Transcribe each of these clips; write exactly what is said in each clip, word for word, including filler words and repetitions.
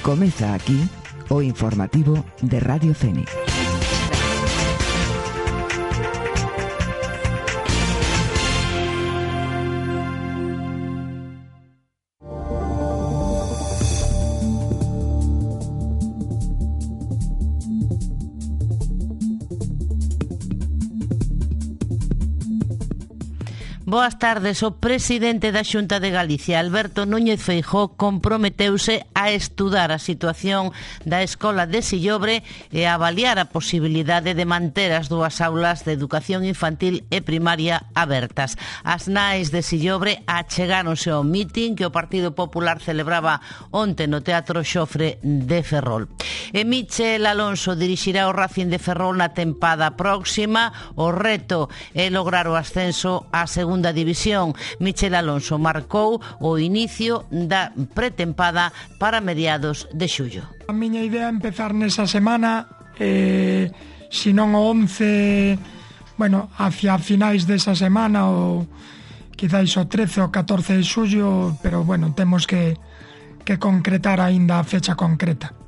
Comeza aquí o informativo de Radio Fénix. Boas tardes. O presidente da Xunta de Galicia, Alberto Núñez Feijóo, comprometeuse a estudar a situación da Escola de Sillobre e a avaliar a posibilidade de manter as dúas aulas de educación infantil e primaria abertas. As nais de Sillobre achegáronse ao mitin que o Partido Popular celebraba onte no Teatro Xofre de Ferrol. E Michel Alonso dirixirá o Racing de Ferrol na tempada próxima. O reto é lograr o ascenso á segunda división. Michel Alonso marcou o inicio da pretempada para mediados de xullo. A miña idea é empezar nesa semana, eh, se non o once, bueno, hacia finais desa semana ou quizáis o trece ou catorce de xullo, pero bueno, temos que, que concretar aínda a fecha concreta.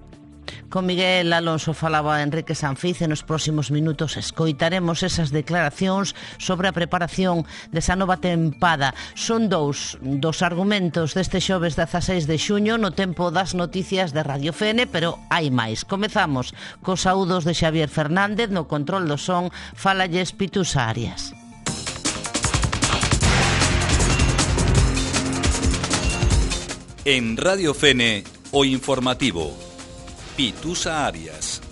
Con Miguel Alonso falaba Enrique Sanfiz e nos próximos minutos escoitaremos esas declaracións sobre a preparación desa nova tempada. Son dous dos argumentos deste xoves dezaseis de xuño no tempo das noticias de Radio Fene, pero hai máis. Comezamos cos saúdos de Xavier Fernández, no control do son falalles Pitusa Arias. En Radio Fene, o informativo. Pitusa Arias.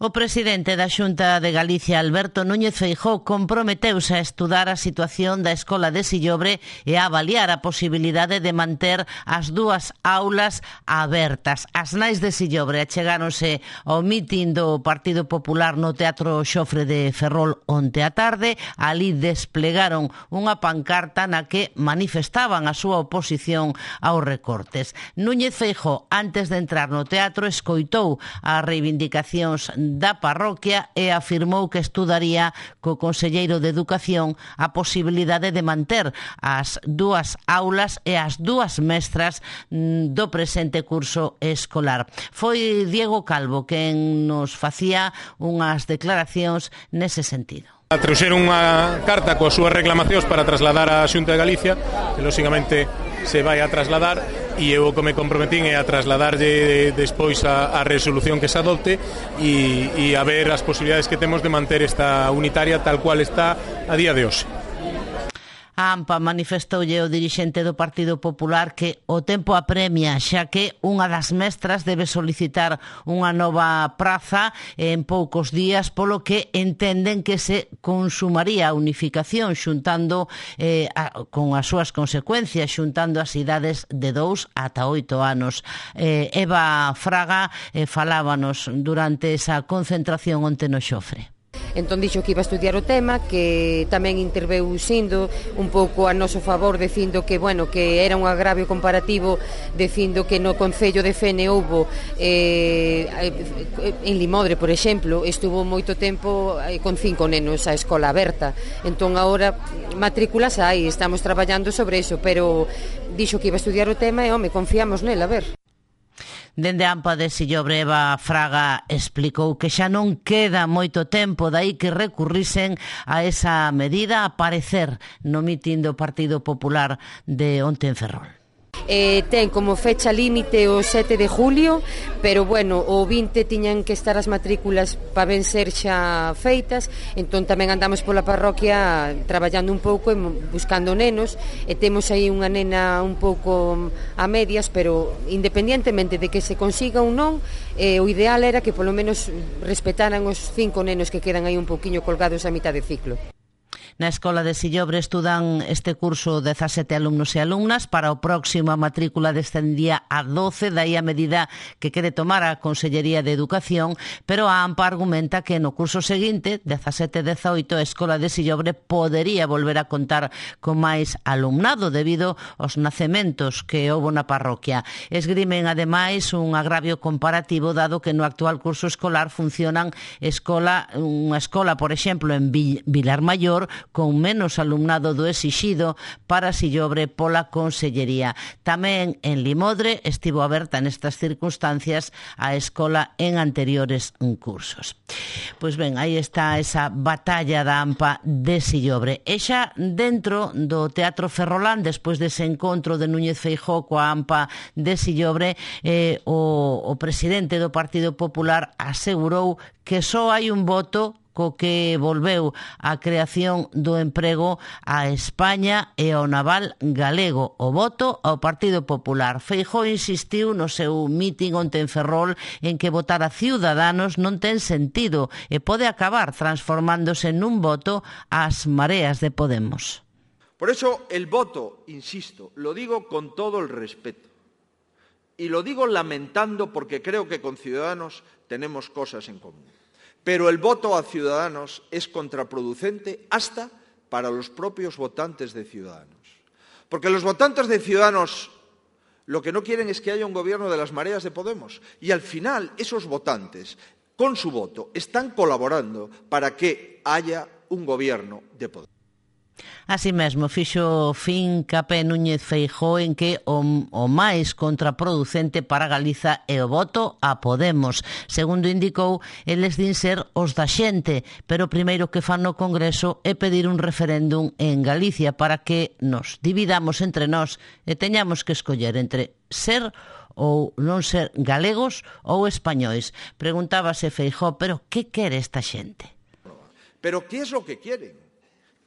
O presidente da Xunta de Galicia, Alberto Núñez Feijóo, comprometeuse a estudar a situación da Escola de Sillobre e a avaliar a posibilidade de manter as dúas aulas abertas. As nais de Sillobre achegáronse ao mitin do Partido Popular no Teatro Xofre de Ferrol onte á tarde. Ali desplegaron unha pancarta na que manifestaban a súa oposición aos recortes. Núñez Feijóo, antes de entrar no teatro, escoitou as reivindicacións da parroquia e afirmou que estudaría co conselleiro de Educación a posibilidade de manter as dúas aulas e as dúas mestras do presente curso escolar. Foi Diego Calvo quen nos facía unhas declaracións nese sentido. Trouxeron unha carta coas súas reclamacións para trasladar á Xunta de Galicia, que lóxicamente se vai a trasladar, e eu o que me comprometín é a trasladarlle despois a, a resolución que se adopte e, e a ver as posibilidades que temos de manter esta unitaria tal cual está a día de hoxe. A AMPA manifestoulle o dirixente do Partido Popular que o tempo apremia, xa que unha das mestras debe solicitar unha nova praza en poucos días, polo que entenden que se consumaría a unificación xuntando eh, a, con as súas consecuencias, xuntando as idades de dous ata oito anos. Eh, Eva Fraga eh, falábanos durante esa concentración onte no Xofre. Entón dixo que iba a estudiar o tema, que tamén interveu sindo un pouco a noso favor, dicindo que, bueno, que era un agravio comparativo, dicindo que no Concello de Fene houbo eh, en Limodre, por exemplo, estuvo moito tempo eh, con cinco nenos a escola aberta. Entón agora matrículas hai, estamos traballando sobre iso, pero dixo que iba a estudiar o tema e, home, confiamos nel, a ver. Dende a AMPA de Sillobre, Eva Fraga explicou que xa non queda moito tempo, dai que recurrisen a esa medida a parecer no mitin do Partido Popular de onte en Ferrol. Eh, ten como fecha límite o sete de julio, pero bueno, o vinte tiñan que estar as matrículas para ben ser xa feitas. Entón tamén andamos pola parroquia traballando un pouco e buscando nenos, e temos aí unha nena un pouco a medias, pero independientemente de que se consiga ou non, eh, o ideal era que polo menos respetaran os cinco nenos que quedan aí un pouquiño colgados a mitad de ciclo. Na Escola de Sillobre estudan este curso dezasete alumnos e alumnas. Para o próximo a matrícula descendía a doce, dai a medida que quere tomar a Consellería de Educación, pero a AMPA argumenta que no curso seguinte, dezasete dezaoito, a Escola de Sillobre podería volver a contar con máis alumnado debido aos nacementos que houbo na parroquia. Esgrimen, ademais, un agravio comparativo dado que no actual curso escolar funcionan escola, unha escola, por exemplo, en Vilar Maior, con menos alumnado do exixido para Sillobre pola Consellería. Tamén en Limodre estivo aberta nestas circunstancias a escola en anteriores cursos. Pois ben, aí está esa batalla da AMPA de Sillobre. E xa dentro do Teatro Ferrolán, despois dese encontro de Núñez Feijóo coa AMPA de Sillobre, eh, o, o presidente do Partido Popular asegurou que só hai un voto co que volveu a creación do emprego a España e ao naval galego, o voto ao Partido Popular. Feijóo insistiu no seu mitin onte en Ferrol en que votar a Ciudadanos non ten sentido e pode acabar transformándose nun voto ás mareas de Podemos. Por eso el voto, insisto, lo digo con todo el respeto. Y lo digo lamentando porque creo que con Ciudadanos tenemos cosas en común. Pero el voto a Ciudadanos es contraproducente hasta para los propios votantes de Ciudadanos. Porque los votantes de Ciudadanos lo que no quieren es que haya un gobierno de las mareas de Podemos. Y al final esos votantes, con su voto, están colaborando para que haya un gobierno de Podemos. Así mesmo, fixo fincapé Núñez Feijóo en que o, o máis contraproducente para Galiza é o voto a Podemos. Segundo indicou, eles din ser os da xente, pero o primeiro que fan no Congreso é pedir un referéndum en Galicia para que nos dividamos entre nós e teñamos que escoller entre ser ou non ser galegos ou españois. Preguntábase Feijóo, pero que quere esta xente? Pero que es lo que quieren?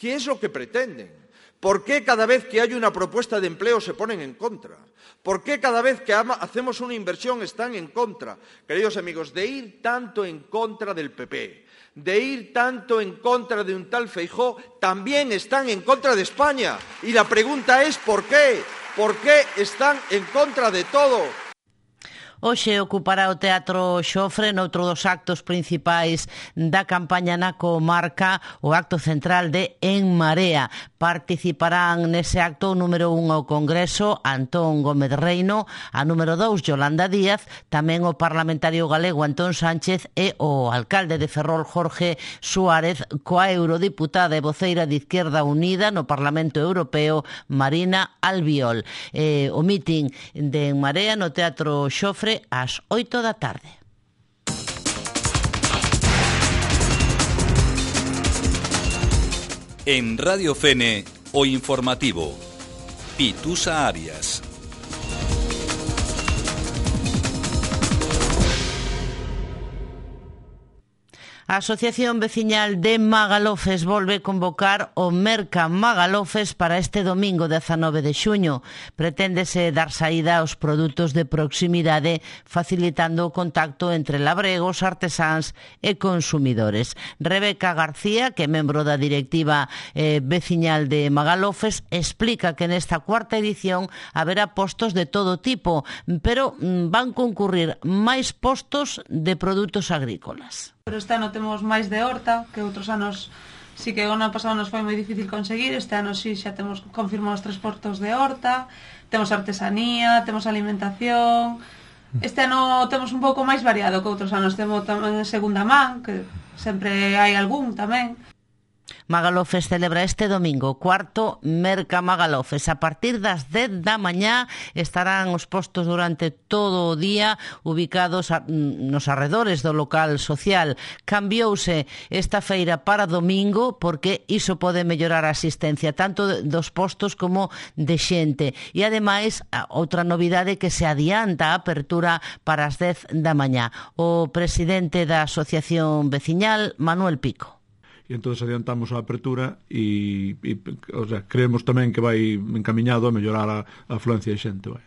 ¿Qué es lo que pretenden? ¿Por qué cada vez que hay una propuesta de empleo se ponen en contra? ¿Por qué cada vez que hacemos una inversión están en contra? Queridos amigos, de ir tanto en contra del P P, de ir tanto en contra de un tal Feijóo, también están en contra de España. Y la pregunta es ¿por qué? ¿Por qué están en contra de todo? Hoxe ocupará o Teatro Xofre noutro dos actos principais da campaña na comarca, o acto central de En Marea. Participarán nese acto o número un ao Congreso, Antón Gómez Reino, a número dous, Yolanda Díaz, tamén o parlamentario galego Antón Sánchez e o alcalde de Ferrol, Jorge Suárez, coa eurodiputada e voceira de Izquierda Unida no Parlamento Europeo, Marina Albiol. Eh, o mitin de En Marea no Teatro Xofre ás oito da tarde. En Radio Fene, o informativo. Pitusa Arias. A Asociación Veciñal de Magalofes volve convocar o Merca Magalofes para este domingo dezanove de xuño. Preténdese dar saída aos produtos de proximidade, facilitando o contacto entre labregos, artesáns e consumidores. Rebeca García, que é membro da directiva eh, veciñal de Magalofes, explica que nesta cuarta edición haberá postos de todo tipo, pero mm, van concurrir máis postos de produtos agrícolas. Pero este ano temos máis de horta, que outros anos sí que o ano pasado nos foi moi difícil conseguir. Este ano sí xa temos confirmados tres postos de horta, temos artesanía, temos alimentación. Este ano temos un pouco máis variado que outros anos. Temos tamén segunda man, que sempre hai algún tamén. Magalofes celebra este domingo o cuarto Merca Magalofes. A partir das dez da mañá estarán os postos durante todo o día ubicados a, nos arredores do local social. Cambiouse esta feira para domingo porque iso pode mellorar a asistencia tanto dos postos como de xente. E ademais, outra novidade que se adianta a apertura para as dez da mañá. O presidente da Asociación Veciñal, Manuel Pico. E entón adiantamos a apertura e, e o sea, creemos tamén que vai encamiñado a mellorar a, a afluencia de xente. Vai.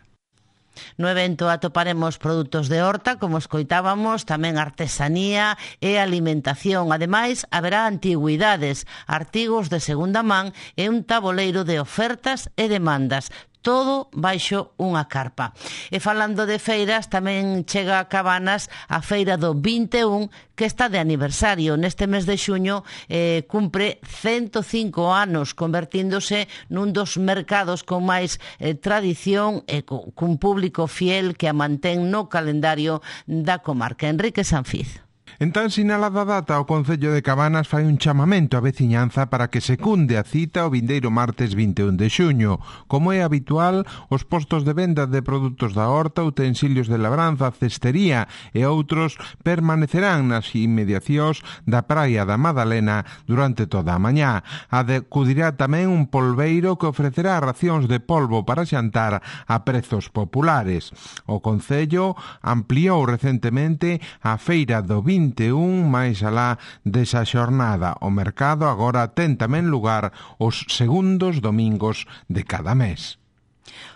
No evento atoparemos produtos de horta, como escoitábamos, tamén artesanía e alimentación. Ademais, haberá antigüidades, artigos de segunda man e un taboleiro de ofertas e demandas. Todo baixo unha carpa. E falando de feiras, tamén chega a Cabanas a feira do vinte e un, que está de aniversario. Neste mes de xuño eh, cumpre cento cinco anos, convertíndose nun dos mercados con máis eh, tradición e cun público fiel que a mantén no calendario da comarca. Enrique Sanfiz. En tan sinalada data, o Concello de Cabanas fai un chamamento á veciñanza para que secunde a cita o vindeiro martes vinte e un de xuño. Como é habitual, os postos de venda de produtos da horta, utensilios de labranza, cestería e outros permanecerán nas inmediacións da Praia da Madalena durante toda a mañá. Acudirá tamén un polbeiro que ofrecerá racións de polvo para xantar a prezos populares. O Concello ampliou recentemente a feira do vinte e un máis alá desa xornada. O mercado agora ten tamén lugar os segundos domingos de cada mes.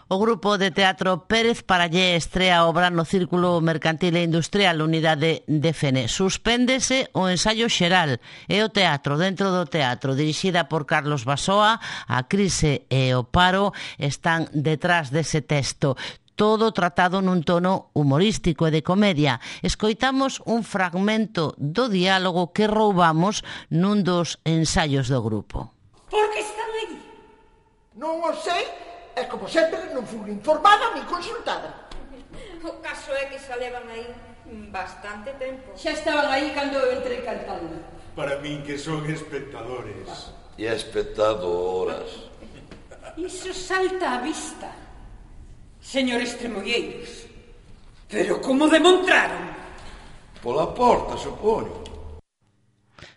O grupo de teatro Pérez Parallé estrea obra no Círculo Mercantil e Industrial Unidade de Fene. Suspéndese o ensaio xeral e o teatro dentro do teatro, dirixida por Carlos Basoa. A crise e o paro están detrás dese texto. Todo tratado nun tono humorístico e de comedia. Escoitamos un fragmento do diálogo que roubamos nun dos ensaios do grupo. Por que están aí? Non o sei, e como sempre non fui informada ni consultada. O caso é que xa levan aí bastante tempo. Xa estaban aí cando eu entrei cantando. Para min que son espectadores. E espectadoras. Iso salta á vista. Señores tremolleiros, pero como demontraron? Pola porta, supoño.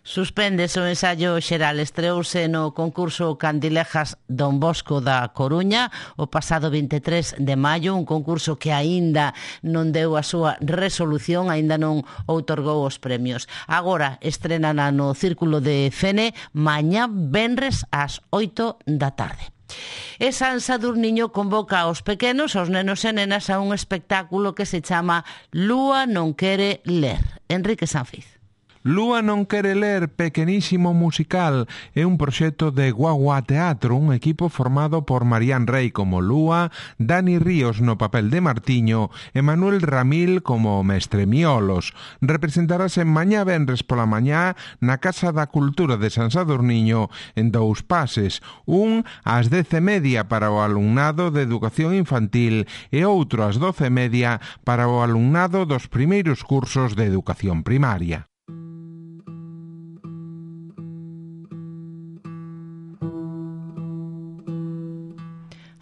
Suspéndese o ensaio xeral. Estreouse no concurso Candilejas Don Bosco da Coruña o pasado vinte e tres de maio, un concurso que aínda non deu a súa resolución, aínda non outorgou os premios. Agora estrenana no Círculo de Fene mañá venres ás oito da tarde. E San Sadurniño convoca aos pequenos, aos nenos e nenas, a un espectáculo que se chama Lúa non quere ler. Enrique Sanfiz. Lúa non quere ler, pequenísimo musical, é un proxecto de Guagua Teatro, un equipo formado por Marían Rey como Lúa, Dani Ríos no papel de Martiño e Manuel Ramil como Mestre Miolos. Representarase mañá venres pola mañá na Casa da Cultura de San Sadurniño en dous pases, un ás dez e media para o alumnado de Educación Infantil e outro ás doce e media para o alumnado dos primeiros cursos de Educación Primaria.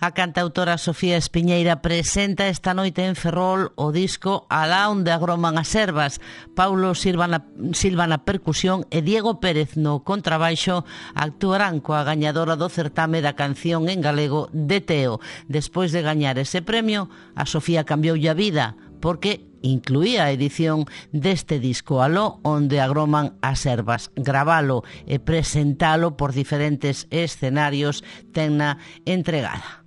A cantautora Sofía Espiñeira presenta esta noite en Ferrol o disco Alá onde agroman as ervas. Paulo Silva na, Silva na percusión e Diego Pérez no contrabaixo actuarán coa gañadora do certame da canción en galego de Teo. Despois de gañar ese premio, a Sofía cambioulle a vida porque incluía a edición deste disco Aló onde agroman as ervas. Gravalo e presentalo por diferentes escenarios tenna entregada.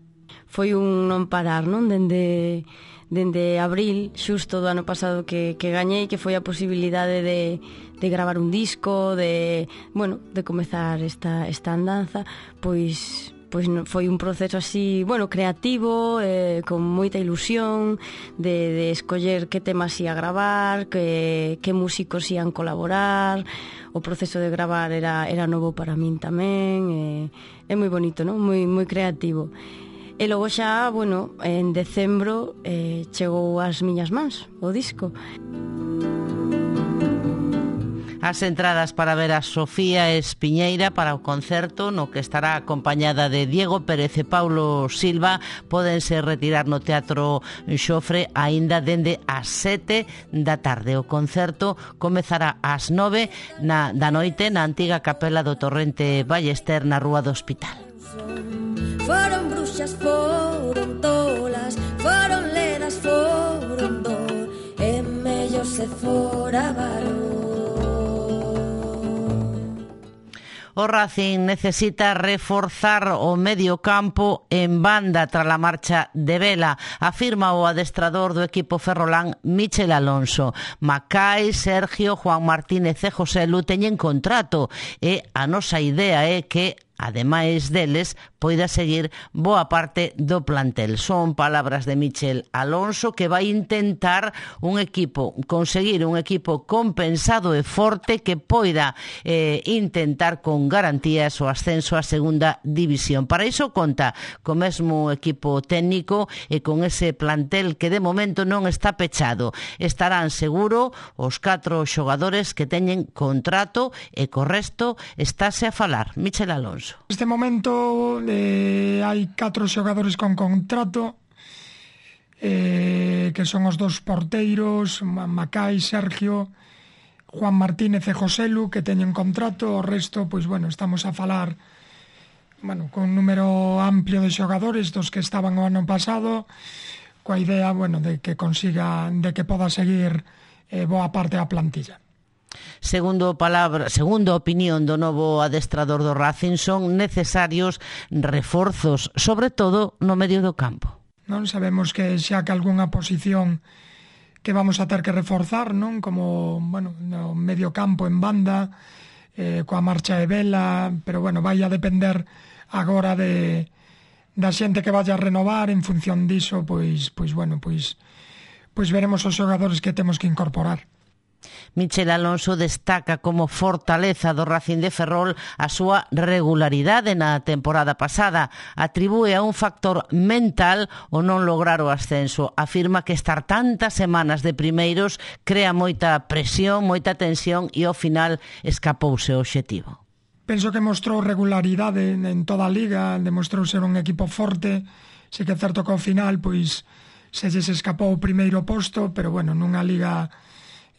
Foi un non parar, non? Dende, dende abril, xusto do ano pasado que, que gañei, que foi a posibilidade de, de gravar un disco, de, bueno, de comezar esta, esta andanza, pois... pois foi un proceso así, bueno, creativo, eh, con moita ilusión de, de escoller que temas ia gravar, que, que músicos ian colaborar. O proceso de gravar era, era novo para min tamén, eh, é moi bonito, non? Moi, moi creativo. E logo xa, bueno, en decembro eh, chegou ás miñas mans o disco. As entradas para ver a Sofía Espiñeira para o concerto no que estará acompañada de Diego Pérez e Paulo Silva pódense retirar no Teatro Xofre aínda dende as sete da tarde. O concerto comezará ás nove na, da noite na antiga capela do Torrente Ballester na Rúa do Hospital. Foron bruxas, foron tolas, foron ledas, foron dor, e mellor se fora varón. O Racing necesita reforzar o medio campo en banda tras a marcha de Vela, afirma o adestrador do equipo ferrolán Michel Alonso. Macai, Sergio, Juan Martínez e José Lu teñen contrato e a nosa idea é que ademais deles, poida seguir boa parte do plantel. Son palabras de Michel Alonso, que vai intentar un equipo, conseguir un equipo compensado e forte que poida eh, intentar con garantías o ascenso á segunda división. Para iso conta co mesmo equipo técnico e con ese plantel que de momento non está pechado. Estarán seguro os catro xogadores que teñen contrato e co resto estáse a falar. Michel Alonso. Neste momento eh, hai catro xogadores con contrato, eh, que son os dos porteiros, Macai, Sergio, Juan Martínez e Joselu, que teñen contrato. O resto, pois bueno, estamos a falar bueno, con un número amplio de xogadores dos que estaban o ano pasado, coa idea, bueno, de que consiga, de que poda seguir eh, boa parte da plantilla. Segundo palabra, segundo a opinión do novo adestrador do Racing, son necesarios reforzos, sobre todo no medio do campo. Non sabemos que xa que algunha posición que vamos a ter que reforzar, non? Como, bueno, no medio campo en banda, eh, coa marcha de Vela, pero bueno, vai a depender agora de da xente que vaya a renovar. En función diso, pois, pois bueno, pois, pois veremos os xogadores que temos que incorporar. Michel Alonso destaca como fortaleza do Racing de Ferrol a súa regularidade na temporada pasada. Atribúe a un factor mental o non lograr o ascenso. Afirma que estar tantas semanas de primeiros crea moita presión, moita tensión e ao final escapouse o obxectivo. Penso que mostrou regularidade en toda a liga, demostrou ser un equipo forte. Se que é certo que ao final pois se lles escapou o primeiro posto, pero bueno, nunha liga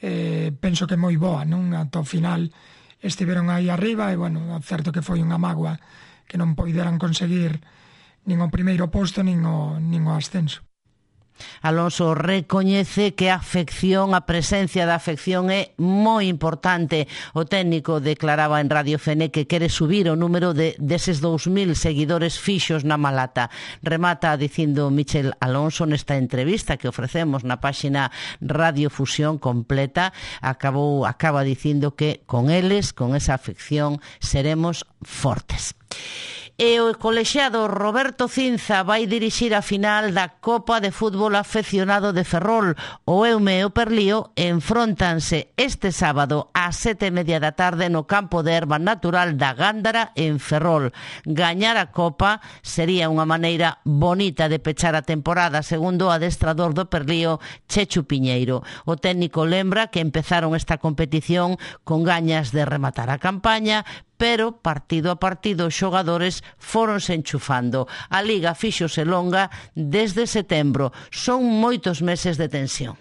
Eh, penso que moi boa, non? Ata o final estiveron aí arriba e, bueno, certo que foi unha mágoa que non poideran conseguir nin o primeiro posto nin o, nin o ascenso. Alonso recoñece que a afección, a presencia da afección é moi importante. O técnico declaraba en Radio Fene que quere subir o número de deses dous mil seguidores fixos na Malata. Remata dicindo Michel Alonso nesta entrevista que ofrecemos na páxina Radio Fusión completa, acabou acaba dicindo que con eles, con esa afección, seremos fortes. E o colexiado Roberto Cinza vai dirixir a final da Copa de Fútbol Afeccionado de Ferrol. O Eume e o Perlío enfróntanse este sábado ás sete e media da tarde no campo de erva natural da Gándara en Ferrol. Gañar a Copa sería unha maneira bonita de pechar a temporada, segundo o adestrador do Perlío, Chechu Piñeiro. O técnico lembra que empezaron esta competición con gañas de rematar a campaña, pero partido a partido os xogadores foronse enchufando. A Liga fíxose longa desde setembro. Son moitos meses de tensión.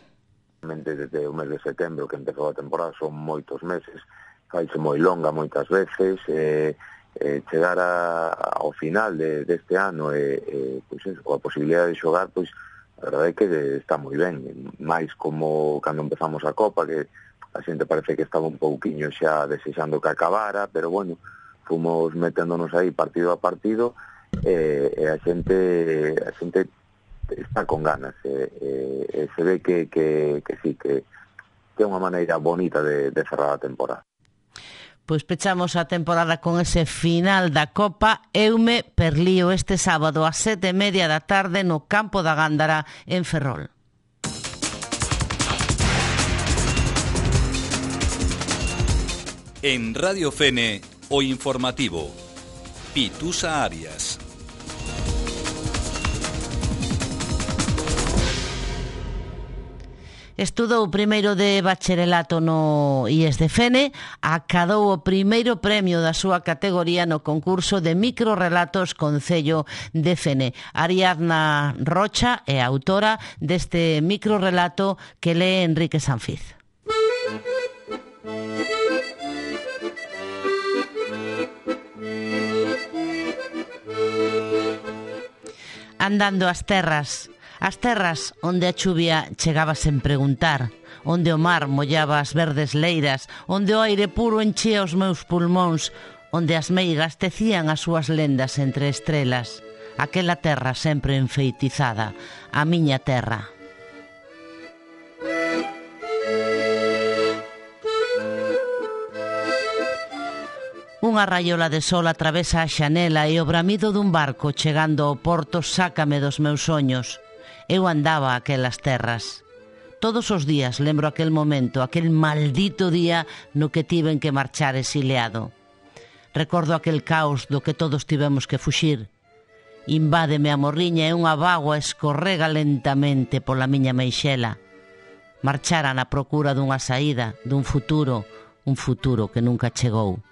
Desde o mes de setembro que empezou a temporada son moitos meses, faise moi longa moitas veces, eh, eh, chegar a, ao final de, deste ano e eh, pois eso, coa posibilidade de xogar, pois a verdade é que está moi ben, máis como cando empezamos a Copa, que a xente parece que estaba un pouquiño xa desexando que acabara, pero bueno, fomos meténdonos aí partido a partido e, e a xente a xente está con ganas e, e, e se ve que, que, que sí, que, que é unha maneira bonita de, de cerrar a temporada. Pois pechamos a temporada con ese final da Copa Eume Perlío este sábado ás sete e media da tarde no campo da Gándara en Ferrol. En Radio Fene, o informativo. Pitusa Arias. Estudou primeiro de bacharelato no I E S de Fene, acadou o primeiro premio da súa categoría no concurso de microrelatos Concello de Fene. Ariadna Rocha é autora deste microrelato que lee Enrique Sanfiz. Andando as terras, as terras onde a chuvia chegaba sen preguntar, onde o mar mollaba as verdes leiras, onde o aire puro enchía os meus pulmóns, onde as meigas tecían as súas lendas entre estrelas. Aquela terra sempre enfeitizada, a miña terra. Unha raiola de sol atravesa a xanela e o bramido dun barco chegando ao porto sácame dos meus soños. Eu andaba aquelas terras. Todos os días lembro aquel momento, aquel maldito día no que tiven que marchar exiliado. Recordo aquel caos do que todos tivemos que fuxir. Invádeme a morriña e unha bágoa escorrega lentamente pola miña meixela. Marchara na procura dunha saída, dun futuro, un futuro que nunca chegou.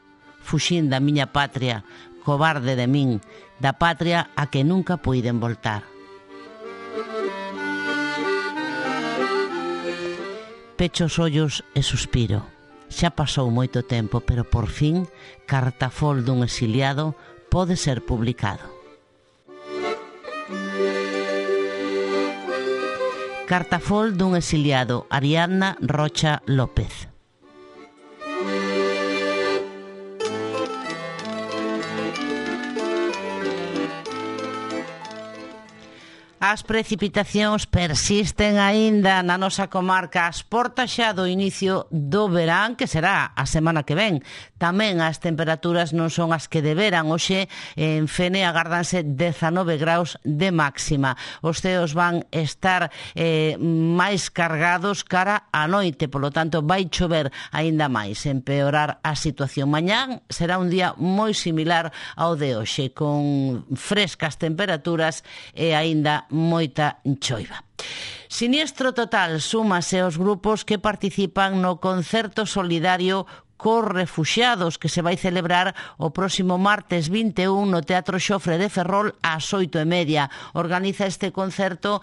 Fuxín da miña patria, cobarde de min, da patria a que nunca puiden voltar. Pecho os ollos e suspiro. Xa pasou moito tempo, pero por fin Cartafol dun exiliado pode ser publicado. Cartafol dun exiliado, Ariadna Rocha López. As precipitacións persisten aínda na nosa comarca ás portas xa do inicio do verán, que será a semana que ven. Tamén as temperaturas non son as que deberan. Hoxe en Fene agárdanse dezanove graus de máxima. Os ceos van estar eh, máis cargados cara á noite, polo tanto vai chover aínda máis, empeorar a situación. Mañán será un día moi similar ao de hoxe, con frescas temperaturas e aínda moita choiva. Siniestro total súmase aos grupos que participan no concerto solidario cos refuxiados que se vai celebrar o próximo martes vinte e un no Teatro Xofre de Ferrol ás oito e media. Organiza este concerto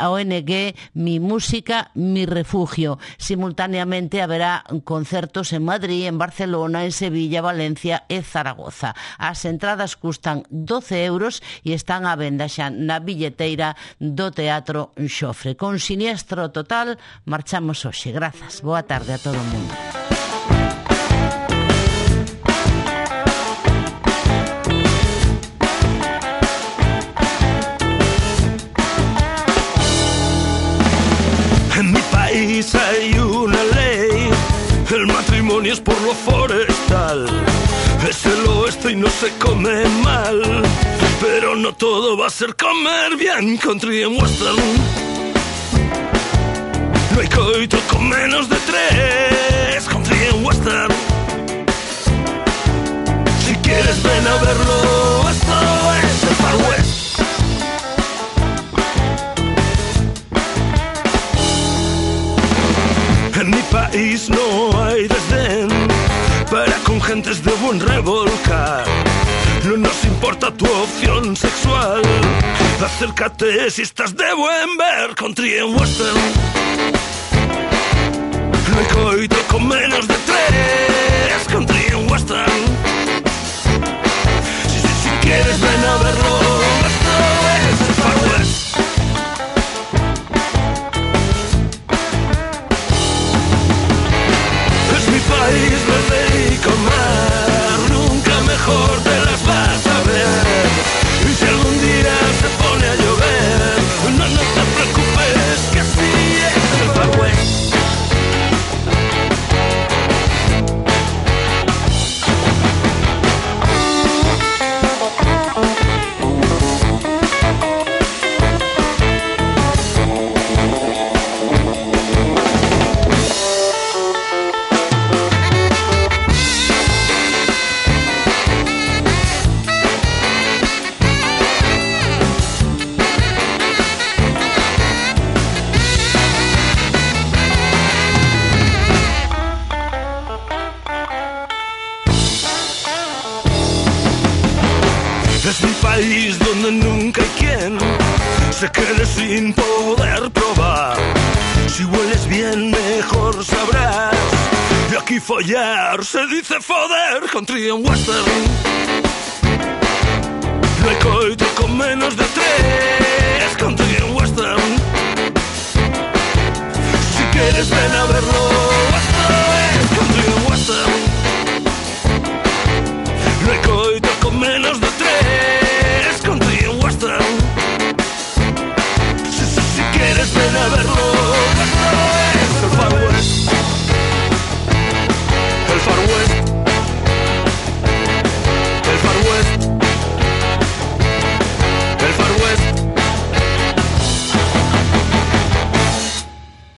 a O N G Mi Música, Mi Refugio. Simultáneamente haberá concertos en Madrid, en Barcelona, en Sevilla, Valencia e Zaragoza. As entradas custan doce euros e están á venda xa na billeteira do Teatro Xofre. Con Siniestro total marchamos hoxe. Grazas. Boa tarde a todo o mundo. En mi país hay una ley, el matrimonio es por lo forestal. Es el oeste y no se come mal, pero no todo va a ser comer bien. Country and western, no hay coito con menos de tres. Country and western, si quieres ven a verlo, esto es el Far West. En mi país no hay desdén para con gentes de buen revolcar. No nos importa tu opción sexual, acércate si estás de buen ver. Country and western, no hay coito con menos de tres. Country and western, si, si, si quieres ven a verlo, esto es el Far West. País verde y con mar, nunca mejor te las vas a ver. Y si algún día se pone a llover, no, no te preocupes, que así es el Far West. Es mi país donde nunca hay quien se quede sin poder probar. Si hueles bien mejor sabrás, de aquí follar se dice foder. Country and western, no hay coito con menos de tres. Country and western, si quieres ven a verlo.